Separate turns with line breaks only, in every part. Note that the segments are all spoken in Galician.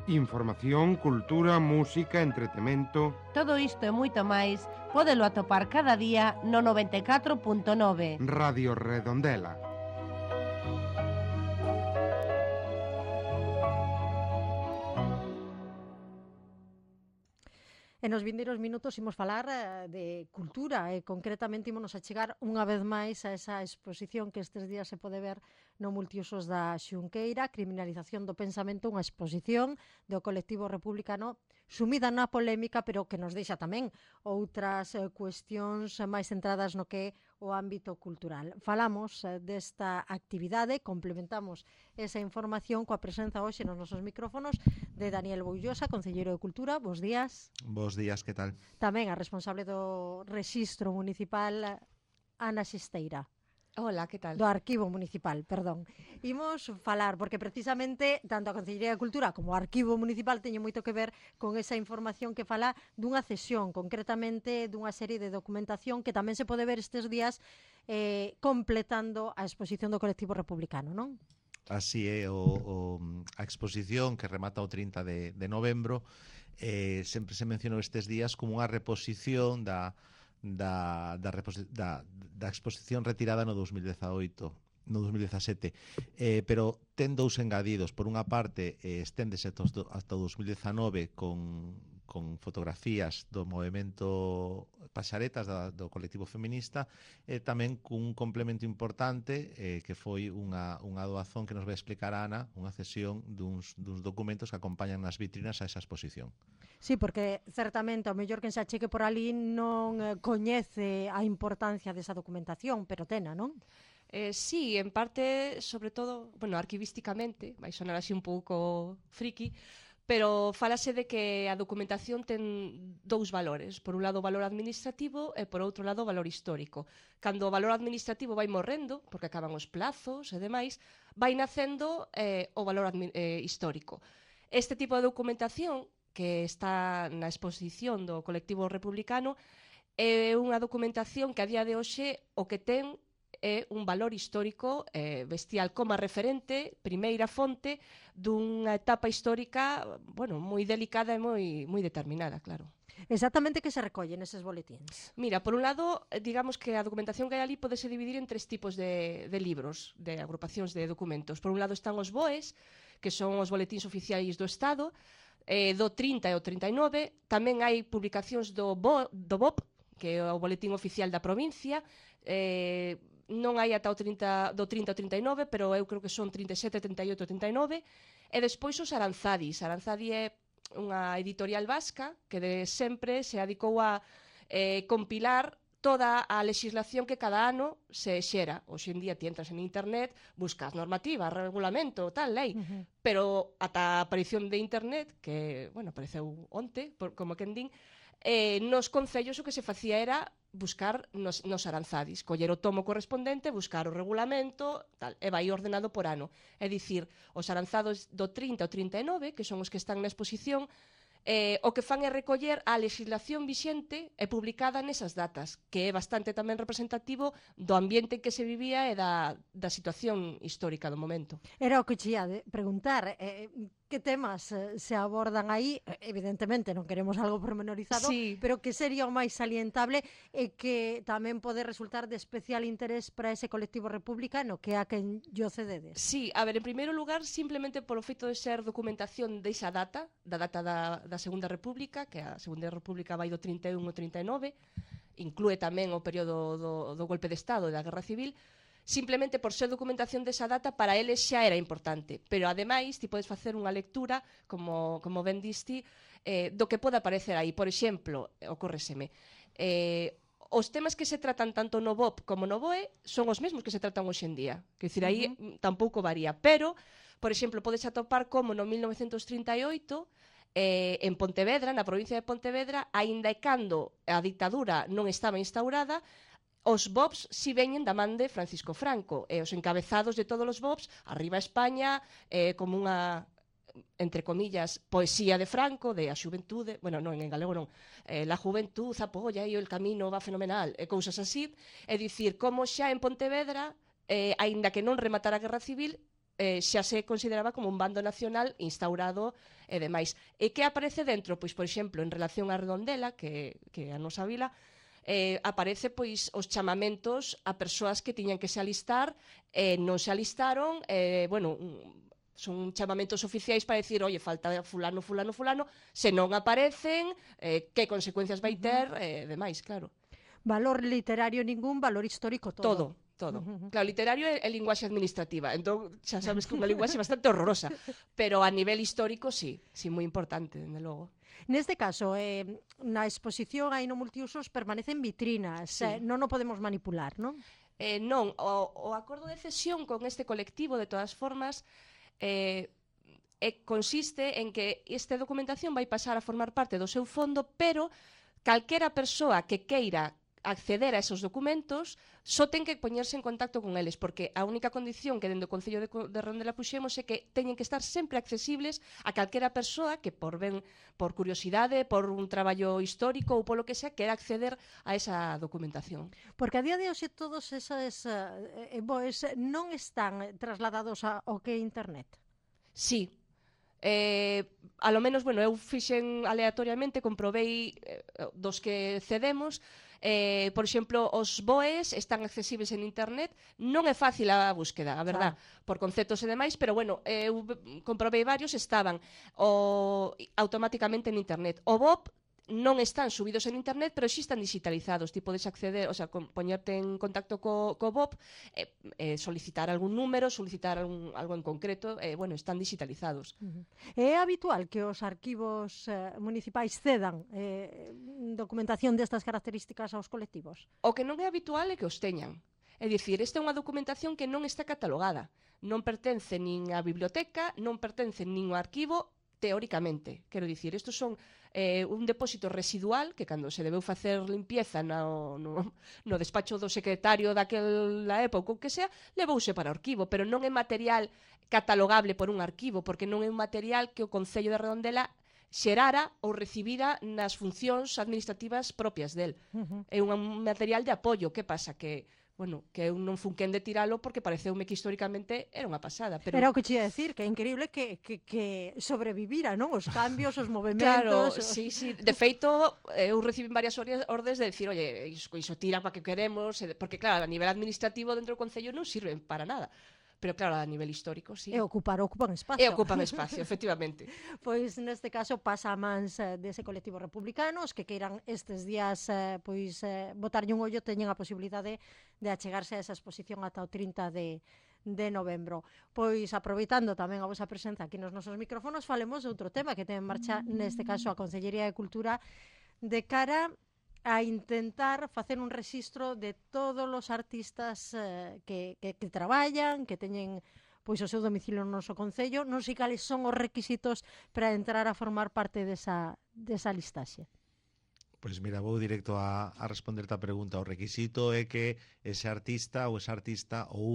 Información, cultura, música, entretemento...
Todo isto e moito máis pódelo atopar cada día no 94.9
Radio Redondela.
E nos vindeiros minutos imos falar de cultura e concretamente ímonos a chegar unha vez máis a esa exposición que estes días se pode ver no Multiusos da Xunqueira, Criminalización do Pensamento, unha exposición do colectivo republicano sumida na polémica, pero que nos deixa tamén outras cuestións máis centradas no que é o ámbito cultural. Falamos desta actividade, complementamos esa información coa presenza hoxe nos nosos micrófonos de Daniel Boullosa, concelleiro de Cultura. Bos días.
Bos días, que tal?
Tamén a responsable do Rexistro Municipal, Ana Xisteira.
Hola, que tal?
Do Arquivo Municipal, perdón. Imos falar, porque precisamente tanto a Concellería de Cultura como o Arquivo Municipal teñen moito que ver con esa información que fala dunha cesión, concretamente dunha serie de documentación que tamén se pode ver estes días completando a exposición do colectivo republicano, non?
Así é, a exposición que remata o 30 de novembro sempre se mencionou estes días como unha reposición da exposición retirada no 2018, no 2017, pero ten dous engadidos. Por unha parte, esténdese hasta o 2019 con fotografías do movemento Paxaretas do colectivo feminista, e tamén cun complemento importante que foi unha doazón que nos vai explicar a Ana, unha cesión duns documentos que acompañan nas vitrinas a esa exposición.
Sí, porque certamente o mellor que se acheque por ali non coñece a importancia desa documentación, pero tena, non?
Sí, en parte, sobre todo, bueno, arquivísticamente, vai sonar así un pouco friki, pero falase de que a documentación ten dous valores. Por un lado, o valor administrativo e, por outro lado, o valor histórico. Cando o valor administrativo vai morrendo, porque acaban os plazos e demais, vai nacendo o valor histórico. Este tipo de documentación que está na exposición do colectivo republicano é unha documentación que a día de hoxe o que ten é un valor histórico bestial como a referente, primeira fonte dunha etapa histórica, bueno, moi delicada e moi determinada, claro.
Exactamente que se recolle neses boletíns?
Mira, por un lado, digamos que a documentación que hai ali podese dividir en tres tipos de libros, de agrupacións de documentos. Por un lado están os BOEs, que son os boletíns oficiais do Estado, do 30 e o 39, tamén hai publicacións do BOP, que é o boletín oficial da provincia, non hai ata o 30, do 30 ao 39, pero eu creo que son 37, 38, 39, e despois os Aranzadis. Aranzadi é unha editorial vasca que de sempre se adicou a compilar toda a legislación que cada ano se xera. Hoxe en día ti entras en internet, buscas normativa, regulamento, tal, lei, pero ata a aparición de internet, que, bueno, apareceu onte, como quen din, nos concellos o que se facía era buscar nos Aranzadis, coller o tomo correspondente, buscar o regulamento, tal, e vai ordenado por ano. É dicir, os Aranzados do 30 ao 39, que son os que están na exposición, o que fan é recoller a legislación vixente e publicada nesas datas, que é bastante tamén representativo do ambiente en que se vivía e da situación histórica do momento.
Era o que che ia preguntar, que temas se abordan aí? Evidentemente non queremos algo pormenorizado,
sí,
pero que sería o máis salientable e que tamén pode resultar de especial interés para ese colectivo republicano que é a quen yo cededes.
Sí, a ver, en primeiro lugar, simplemente polo feito de ser documentación desa data, da data da Segunda República, que a Segunda República vai do 31 ao 39, inclúe tamén o período do golpe de Estado e da Guerra Civil. Simplemente por ser documentación desa data, para eles xa era importante, pero ademais ti podes facer unha lectura, como ben diste, do que pode aparecer aí. Por exemplo, ocórreseme, os temas que se tratan tanto no BOP como no BOE son os mesmos que se tratan hoxe en día, que dicir, aí tampouco varía, pero, por exemplo, podes atopar como no 1938 en Pontevedra, na provincia de Pontevedra, aínda e cando a dictadura non estaba instaurada, os BOPs si veñen da man de Francisco Franco, e os encabezados de todos os BOPs, arriba España, como unha, entre comillas, poesía de Franco, de a xuventude, bueno, non, en galego non, la juventud apoya e o camino va fenomenal, e cousas así, é dicir, como xa en Pontevedra, aínda que non rematara a Guerra Civil, xa se consideraba como un bando nacional instaurado e demais. E que aparece dentro? Pois, por exemplo, en relación á Redondela, que a nosa vila, aparece pois os chamamentos a persoas que tiñan que se alistar e non se alistaron, bueno, son chamamentos oficiais para decir, oye, falta fulano, fulano, fulano, se non aparecen, que consecuencias vai ter, demais, claro.
Valor literario ningún, valor histórico todo.
Todo. Claro, literario é linguaxe administrativa, entón xa sabes que é unha linguaxe bastante horrorosa, pero a nivel histórico sí moi importante, dende logo.
Neste caso, na exposición aí no multiusos permanecen vitrinas,
Sí.
Non o podemos manipular, non?
Non, o acordo de cesión con este colectivo, de todas formas, consiste en que esta documentación vai pasar a formar parte do seu fondo, pero calquera persoa que queira acceder a esos documentos só ten que poñerse en contacto con eles, porque a única condición que dentro do Concello de Redondela puxemos é que teñen que estar sempre accesibles a calquera persoa que por curiosidade, por un traballo histórico ou polo que sea, quera acceder a esa documentación.
Porque a día de hoxe todos esos BOEs non están trasladados ao que é internet.
Sí. A lo menos, bueno, eu fixen aleatoriamente, comprobei dos que cedemos, por exemplo, os BOEs están accesibles en internet, non é fácil a búsqueda, a verdad, por conceptos e demais, pero bueno, eu comprobei varios, estaban automáticamente en internet. O BOP non están subidos en internet, pero sí están digitalizados. Ti podes acceder, o sea, poñerte en contacto co BOP, solicitar algún número, solicitar algo en concreto, bueno, están digitalizados.
É habitual que os arquivos municipais cedan documentación destas características aos colectivos?
O que non é habitual é que os teñan. É dicir, esta é unha documentación que non está catalogada. Non pertence nin á biblioteca, non pertence nin ao arquivo, teóricamente. Quero dicir, estos son un depósito residual que cando se debeu facer limpieza no despacho do secretario daquela época ou que sea, levouse para o arquivo, pero non é material catalogable por un arquivo, porque non é un material que o Concello de Redondela xerara ou recibira nas funcións administrativas propias del. É un material de apoio. Que pasa? Que bueno, que eu non fun quen de tiralo porque pareceume que históricamente era unha pasada. Pero...
Era o que che ia decir, que é increíble que sobrevivira, non? Os cambios, os movementos...
Claro, sí. De feito, eu recibín varias ordes de decir, oye, iso tira para que queremos, porque claro, a nivel administrativo dentro do Concello non sirven para nada. Pero claro, a nivel histórico, sí.
E ocupan espacio.
E ocupan espacio, efectivamente.
Pois neste caso pasa a mans dese colectivo republicano, os que queiran estes días botarlle un ollo teñen a posibilidade de achegarse a esa exposición ata o 30 de novembro. Pois aproveitando tamén a vosa presenza aquí nos nosos micrófonos, falemos de outro tema que ten en marcha neste caso a Consellería de Cultura de cara a intentar facer un rexistro de todos os artistas que traballan, que teñen pois o seu domicilio no noso concello. Non sei cales son os requisitos para entrar a formar parte desa listaxe.
Pois mira, vou directo a responderte a pregunta. O requisito é que ese artista ou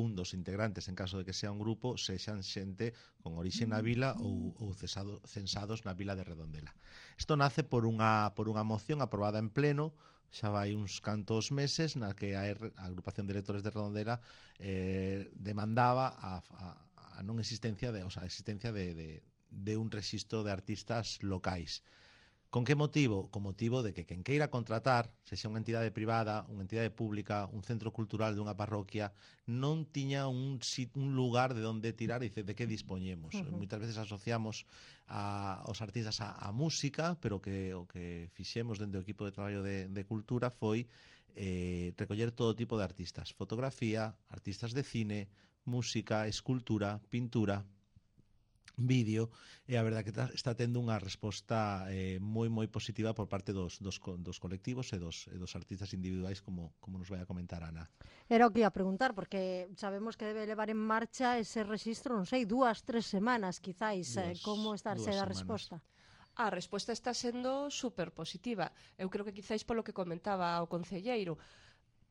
un dos integrantes, en caso de que sea un grupo, sexan xente con orixe na vila ou censados na vila de Redondela. Isto nace por unha moción aprobada en pleno, xa vai uns cantos meses, na que a agrupación de electores de Redondela demandaba a non existencia a existencia de un rexistro de artistas locais. Con que motivo? Con motivo de que quen queira contratar, sexa unha entidade privada, unha entidade pública, un centro cultural dunha parroquia, non tiña un lugar de onde tirar e de que dispoñemos. Moitas veces asociamos aos artistas a música, pero o que fixemos dentro do equipo de traballo de cultura foi recoller todo tipo de artistas. Fotografía, artistas de cine, música, escultura, pintura, vídeo, e a verdade que está tendo unha resposta moi positiva por parte dos colectivos e dos artistas individuais, como nos vai a comentar Ana.
Era o que ia preguntar, porque sabemos que debe levar en marcha ese rexistro, non sei, 2-3 semanas, quizáis. Como está a ser a resposta?
A resposta está sendo super positiva. Eu creo que quizáis polo que comentaba o concelleiro,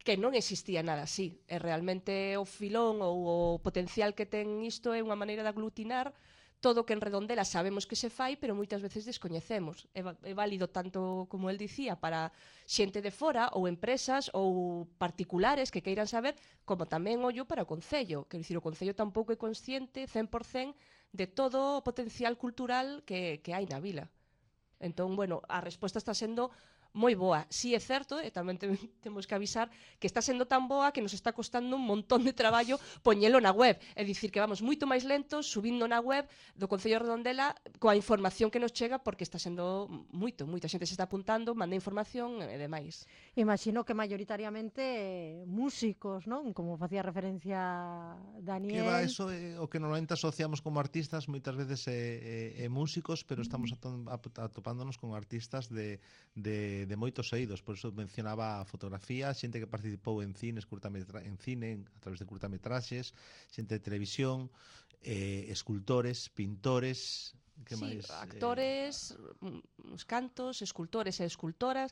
que non existía nada así. E realmente o filón ou o potencial que ten isto é unha maneira de aglutinar todo o que en Redondela sabemos que se fai, pero moitas veces descoñecemos. É válido tanto, como el dicía, para xente de fora ou empresas ou particulares que queiran saber, como tamén ollo para o Concello. Quero dicir, o Concello tampouco é consciente 100% de todo o potencial cultural que hai na vila. Entón, bueno, a resposta está sendo moi boa. Si é certo, e tamén temos que avisar que está sendo tan boa que nos está costando un montón de traballo poñelo na web. É dicir, que vamos moito máis lentos subindo na web do Concello de Redondela coa información que nos chega, porque está sendo moita xente se está apuntando, manda información e demais.
Imagino que maioritariamente músicos, non? Como facía referencia Daniel.
Que va, eso é o que normalmente asociamos como artistas, moitas veces é músicos, pero estamos atopándonos con artistas de moitos eidos, por eso mencionaba a fotografía, xente que participou en cine, a través de curtametraxes, xente de televisión, escultores, pintores, que máis?
Actores, os cantos, escultores e escultoras,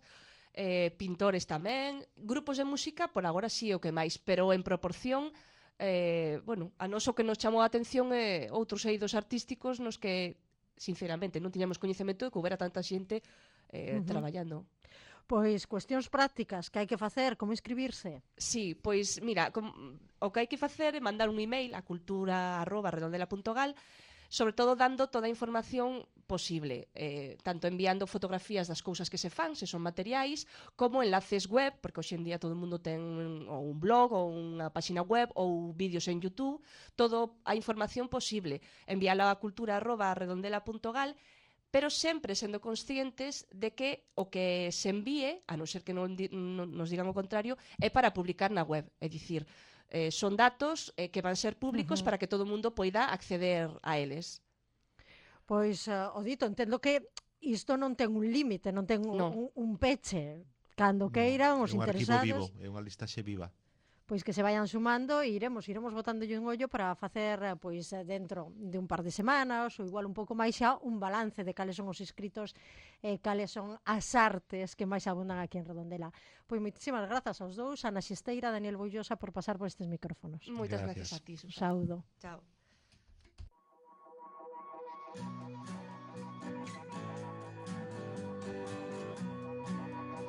pintores tamén, grupos de música, por agora sí o que máis, pero en proporción, bueno, a nos o que nos chamou a atención é outros eidos artísticos nos que, sinceramente, non tiñamos coñecemento de que houbera tanta xente traballando.
Pois cuestións prácticas que hai que facer, como inscribirse?
Sí, pois mira, o que hai que facer é mandar un email a cultura@redondela.gal, sobre todo dando toda a información posible, tanto enviando fotografías das cousas que se fan, se son materiais, como enlaces web, porque hoxe en día todo o mundo ten ou un blog ou unha páxina web ou vídeos en YouTube, toda a información posible, enviala a cultura@redondela.gal, pero sempre sendo conscientes de que o que se envíe, a non ser que non nos digan o contrario, é para publicar na web. É dicir, son datos que van ser públicos para que todo o mundo poida acceder a eles.
Pois, o dito, entendo que isto non ten un límite, non ten un peche. Cando queiran, os interesados...
É un arquivo vivo, é unha listaxe viva.
Pois que se vayan sumando e iremos botándolle un ollo para facer, pois, dentro de un par de semanas ou igual un pouco máis xa, un balance de cales son os inscritos e cales son as artes que máis abundan aquí en Redondela. Pois moitísimas grazas aos dous, Ana Xesteira, Daniel Boullosa, por pasar por estes micrófonos.
Moitas gracias a ti, Susana.
Saúdo.
Chao.